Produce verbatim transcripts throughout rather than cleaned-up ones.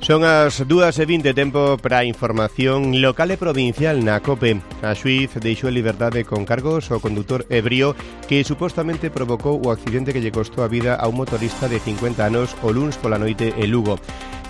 Son as dúas e vinte, tempo para a información local e provincial na COPE. A xuíz deixou en liberdade con cargos ao condutor ebrio que supostamente provocou o accidente que lle costou a vida a un motorista de cincuenta anos o luns pola noite en Lugo.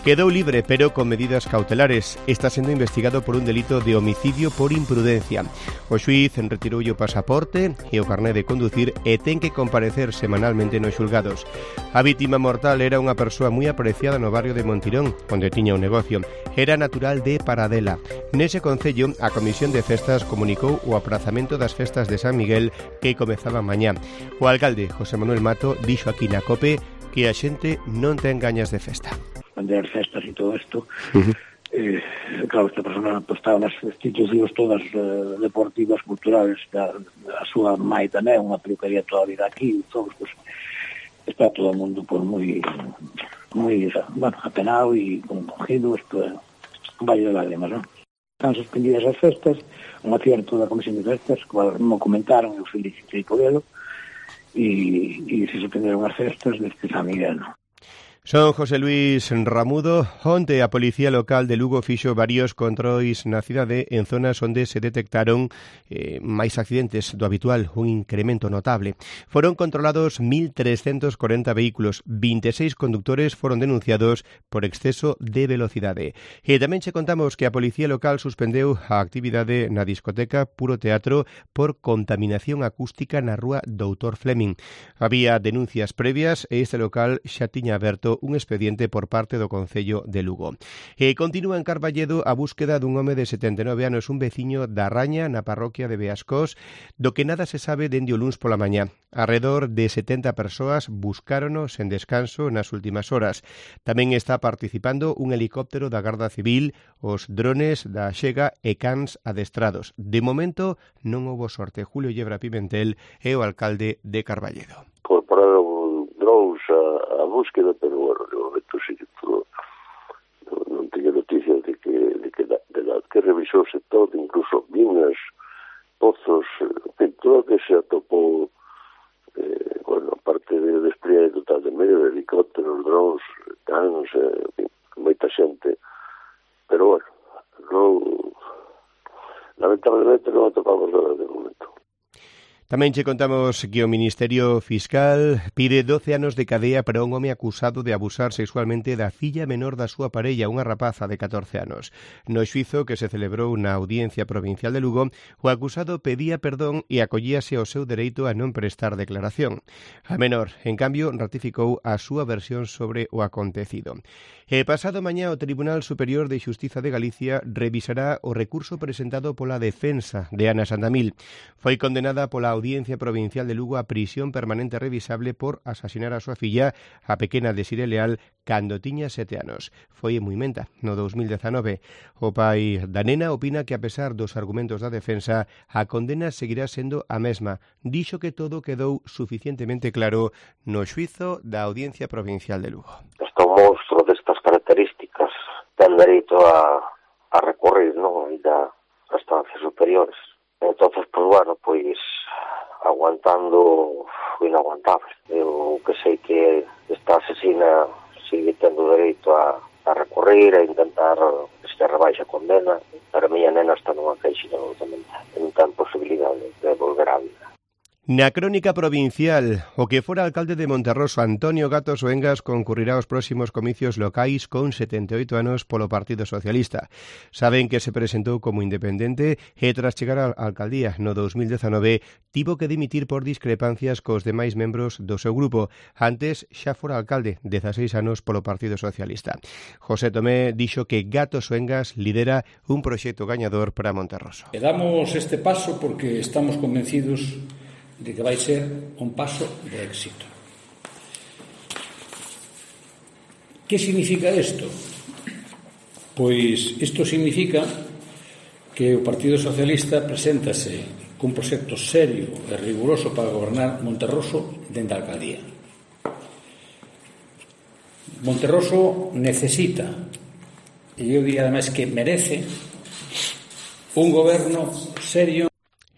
Quedou libre, pero con medidas cautelares. Está sendo investigado por un delito de homicidio por imprudencia. O xuíz retiroulle o pasaporte e o carné de conducir e ten que comparecer semanalmente nos xulgados. A vítima mortal era unha persoa moi apreciada no barrio de Montirón, onde tiña un negocio. Era natural de Paradela. Nese concello, a Comisión de Festas comunicou o aprazamento das festas de San Miguel que comezaban mañá. O alcalde, José Manuel Mato, dixo aquí na COPE que a xente non ten gañas de festa. Vender festas e todo isto, uh-huh. eh, claro, esta persona pues, estaba nas institucións todas eh, deportivas, culturales, da, da súa mai tamén, unha peluquería toda a vida aquí, todos, pues, está todo o mundo pues, moi, moi, bueno, apenado e concogido, isto é un valle de lágrimas, non? Están suspendidas as festas, un acierto da Comisión de Festas, cual me comentaron, eu felicitei por elo, e, e se suspenderon as festas deste San Miguel, non? Son José Luis Ramudo. Onte a Policía Local de Lugo fixo varios controis na cidade en zonas onde se detectaron eh, máis accidentes do habitual, un incremento notable. Foron controlados mil trescentos corenta vehículos, vinte e seis conductores foron denunciados por exceso de velocidade. E tamén che contamos que a Policía Local suspendeu a actividade na discoteca Puro Teatro por contaminación acústica na rúa Doutor Fleming. Había denuncias previas e este local xa tiña aberto un expediente por parte do Concello de Lugo. E continúa en Carballedo a búsqueda dun home de setenta e nove anos, un veciño da Raña na parroquia de Beascós, do que nada se sabe dende o luns pola mañá. Arredor de setenta persoas buscárono sen descanso nas últimas horas. Tamén está participando un helicóptero da Garda Civil, os drones da Xega e cans adestrados. De momento non houbo sorte. Julio Yebra Pimentel é o alcalde de Carballedo. Incorporaron drones a, a búsqueda, pero bueno, de momento sí que todo, non, non teño noticias de que, de que, de, de la, que revisouse todo, incluso minas, pozos, en todo que se atopou, eh, bueno, aparte de despliegue total de medio, de helicópteros, drones, cans, eh, moita xente, pero bueno, non, lamentablemente non atopamos nada de momento. Tamén che contamos que o Ministerio Fiscal pide doce anos de cadea para un home acusado de abusar sexualmente da filla menor da súa parella, unha rapaza de catorce anos. No xuízo que se celebrou na Audiencia Provincial de Lugo, o acusado pedía perdón e acollíase ao seu dereito a non prestar declaración. A menor, en cambio, ratificou a súa versión sobre o acontecido. E pasado mañá o Tribunal Superior de Xustiza de Galicia revisará o recurso presentado pola defensa de Ana Sandamil. Foi condenada pola Audiencia Provincial de Lugo a prisión permanente revisable por asasinar a súa filla, a pequena Desire Leal, cando tiña sete anos. Foi en Muimenta, no dos mil dezanove. O pai da nena opina que, a pesar dos argumentos da defensa, a condena seguirá sendo a mesma. Dixo que todo quedou suficientemente claro no xuízo da Audiencia Provincial de Lugo. Hasta un monstro destas características ten dereito a, a recorrer, non? E da instancias superiores. Entonces, pues bueno, pues aguantando o inaguantable. Eu que sei que esta asesina sigue tendo dereito a, a recorrer, a intentar que se rebaixe a condena, pero a miña nena está nunha queixa absolutamente. Non ten posibilidade de volver á vida. Na crónica provincial, o que fora alcalde de Monterroso, Antonio Gato Soengas, concurrirá aos próximos comicios locais con setenta e oito anos polo Partido Socialista. Saben que se presentou como independente e tras chegar á alcaldía no dos mil dezanove tivo que dimitir por discrepancias cos demais membros do seu grupo. Antes xa fora alcalde, dezaseis anos polo Partido Socialista. José Tomé dixo que Gato Soengas lidera un proxecto gañador para Monterroso. E damos este paso porque estamos convencidos de que vai ser un paso de éxito. Que significa isto? Pois isto significa que o Partido Socialista preséntase cun proxecto serio e riguroso para gobernar Monterroso dende a alcaldía. Monterroso necesita, e eu diría ademais que merece, un goberno serio.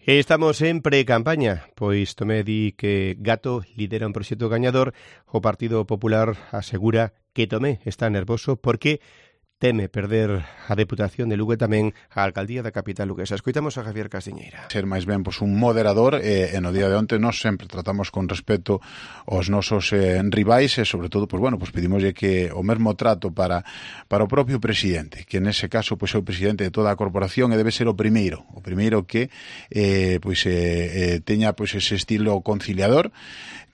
Estamos en pre-campaña, pois Tomé di que Gato lidera un proxecto gañador. O Partido Popular asegura que Tomé está nervoso porque teme perder a Deputación de Lugo e tamén a Alcaldía da capital luguesa. Escoitamos a Javier Castiñeira. Ser máis ben pois, un moderador e, e no día de onte nós sempre tratamos con respeto aos nosos eh, rivais e sobre todo, pois, bueno, pois pedimoslle que o mesmo trato para, para o propio presidente, que nese caso pois, é o presidente de toda a corporación e debe ser o primeiro, o primeiro que eh, pois, eh, eh, teña pois, ese estilo conciliador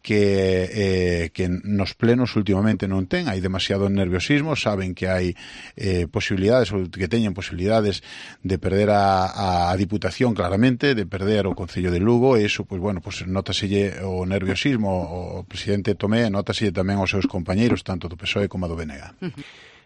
que eh, que nos plenos últimamente non ten, hai demasiado nerviosismo, saben que hai eh, posibilidades, ou que teñen posibilidades de perder a, a Diputación claramente, de perder o Concello de Lugo, e iso, pois bueno, pois notaselle o nerviosismo, o presidente Tomé, notaselle tamén aos seus compañeiros, tanto do P S O E como do B N G.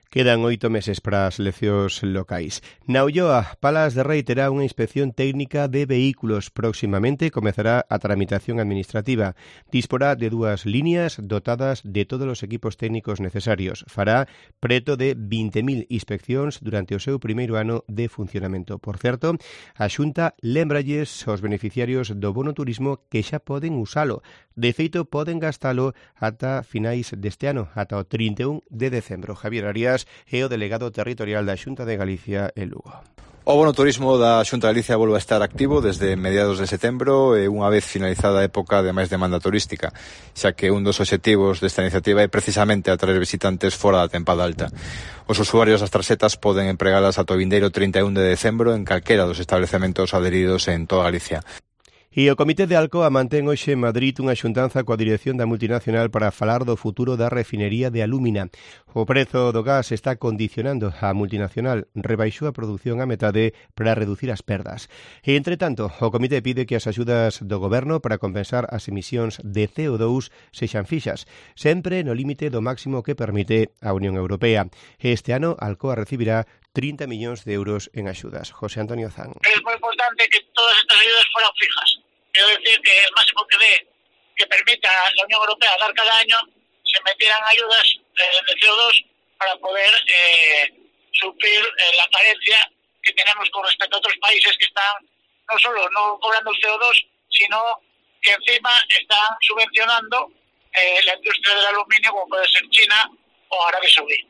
Quedan oito meses para as eleccións locais. Na Ulloa, Palas de Rei terá unha inspección técnica de vehículos. Próximamente comezará a tramitación administrativa. Disporá de dúas líneas dotadas de todos os equipos técnicos necesarios. Fará preto de vinte mil inspeccións durante o seu primeiro ano de funcionamento. Por certo, a Xunta lembralles aos beneficiarios do bono turismo que xa poden usalo. De feito, poden gastalo ata finais deste ano, ata o trinta e un de decembro. Javier Arias é o delegado territorial da Xunta de Galicia en Lugo. O bono turismo da Xunta de Galicia volve a estar activo desde mediados de setembro e unha vez finalizada a época de máis demanda turística, xa que un dos obxectivos desta iniciativa é precisamente atraer visitantes fora da tempada alta. Os usuarios das tarxetas poden empregalas ata o vindeiro trinta e un de decembro en calquera dos establecementos adheridos en toda Galicia. E o Comité de Alcoa mantén hoxe en Madrid unha xuntanza coa dirección da multinacional para falar do futuro da refinería de Alúmina. O prezo do gas está condicionando a multinacional, rebaixou a produción a metade para reducir as perdas. E, entre tanto, o Comité pide que as axudas do Goberno para compensar as emisións de C O dous sexan fixas, sempre no límite do máximo que permite a Unión Europea. Este ano, Alcoa recibirá trinta millóns de euros en axudas. José Antonio Zan. Es muy importante que todas estas ayudas fueran fijas. Quiero decir que el máximo que dé, que permita a la Unión Europea dar cada año, se metieran ayudas eh, de C O dos para poder eh, suplir eh, la carencia que tenemos con respecto a otros países que están no solo no cobrando el C O dos, sino que encima están subvencionando eh, la industria del aluminio, como puede ser China o Arabia Saudí.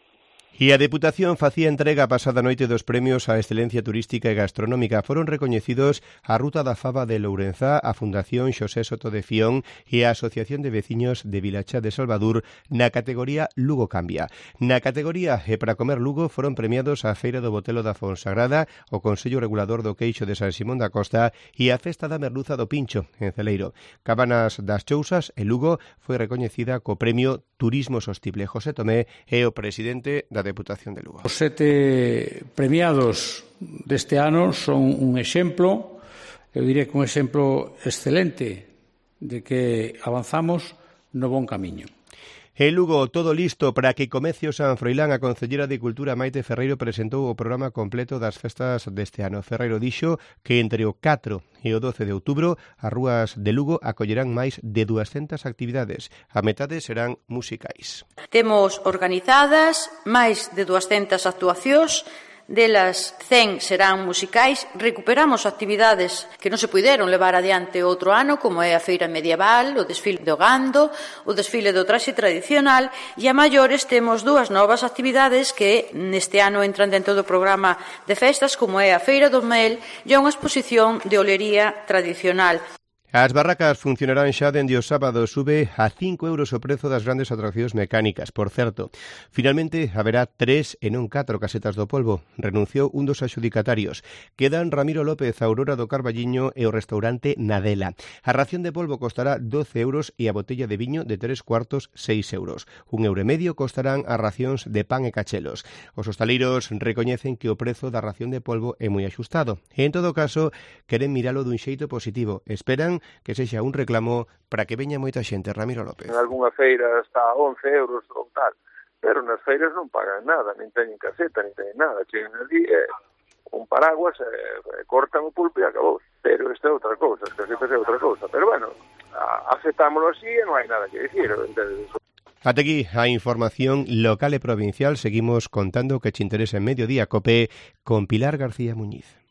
E a Deputación facía entrega pasada noite dos premios á excelencia turística e gastronómica. Foron recoñecidos a Ruta da Faba de Lourenzá, a Fundación Xosé Soto de Fión e a Asociación de Veciños de Vilachá de Salvador na categoría Lugo Cambia. Na categoría E para comer Lugo foron premiados a Feira do Botelo da Fonsagrada, o Consello Regulador do Queixo de San Simón da Costa e a Festa da Merluza do Pincho, en Celeiro. Cabanas das Chousas, en Lugo, foi recoñecida co premio Turismo Sostible. José Tomé é o presidente da Deputación de Lugo. Os sete premiados deste ano son un exemplo, eu diría que un exemplo excelente de que avanzamos no bon camiño. En Lugo, todo listo para que comece o San Froilán. A Concellera de Cultura Maite Ferreiro presentou o programa completo das festas deste ano. Ferreiro dixo que entre o catro e o doce de outubro as rúas de Lugo acollerán máis de duascentas actividades. A metade serán musicais. Temos organizadas máis de duascentas actuacións, delas cen serán musicais. Recuperamos actividades que non se puideron levar adiante outro ano, como é a feira medieval, o desfile do gando, o desfile do traxe tradicional, e a maiores temos dúas novas actividades que neste ano entran dentro do programa de festas, como é a feira do mel e unha exposición de olería tradicional. As barracas funcionarán xa dende o sábado. Sube a cinco euros o prezo das grandes atraccións mecánicas. Por certo, finalmente haberá tres e non catro casetas do polvo. Renunciou un dos adxudicatarios. Quedan Ramiro López, Aurora do Carballiño e o restaurante Nadela. A ración de polvo costará doce euros e a botella de viño de tres cuartos seis euros. Un euro e medio costarán as racións de pan e cachelos. Os hostaleiros recoñecen que o prezo da ración de polvo é moi axustado. E, en todo caso, queren miralo dun xeito positivo. Esperan que sexa un reclamo para que veña moita xente. Ramiro López. En algunha feira está a once euros ou tal, pero nas feiras non pagan nada, nin teñen caseta, nin teñen nada. Chegan ali e un paraguas, e, e cortan o pulpo e acabou. Pero esta é outra cousa, as casetas é outra cousa. Pero bueno, aceptámoslo así e non hai nada que dicir. Ata aquí a información local e provincial. Seguimos contando que che interesa en Mediodía Cope con Pilar García Muñiz.